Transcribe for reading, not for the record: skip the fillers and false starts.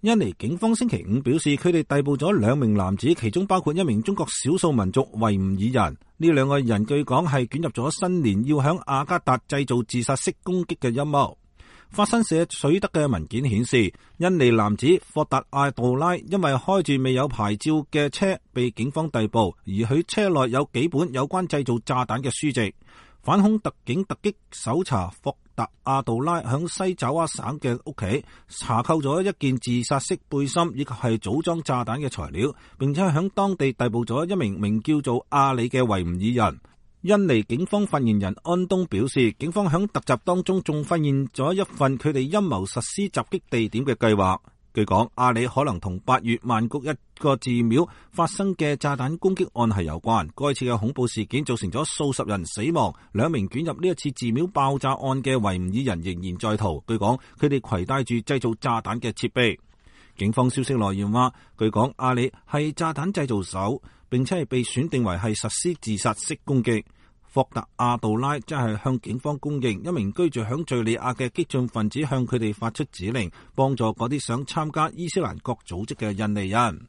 印尼警方星期五表示，佢哋逮捕咗2名男子，其中包括1名中國少數民族維吾爾人。呢2個人據講係捲入咗新年要響雅加達製造自殺式攻擊嘅陰謀。法新社取得嘅文件顯示，印尼男子霍達阿杜拉因為開住未有牌照嘅車被警方逮捕，而佢車內有幾本有關製造炸彈嘅書籍。反恐特警突擊搜查霍達阿杜拉響西爪哇省嘅屋企，查扣咗一件自殺式背心以及係組裝炸彈嘅材料，並且響當地逮捕咗1名名叫做阿里嘅維吾爾人。印尼警方發言人安東表示，警方響突襲當中仲發現咗一份佢哋陰謀實施襲擊地點嘅計劃。據講，阿里可能同8月曼谷一個寺廟發生嘅炸彈攻擊案係有關。該次嘅恐怖事件造成咗數十人死亡，2名捲入呢一次寺廟爆炸案嘅維吾爾人仍然在逃。據講，佢哋攜帶住製造炸彈嘅設備。警方消息來源話，據講阿里係炸彈製造手，並且係被選定為係實施自殺式攻擊。霍達阿杜拉即係向警方供認，1名居住響敘利亞嘅激進分子向佢哋發出指令，幫助嗰啲想參加伊斯蘭國組織嘅印尼人。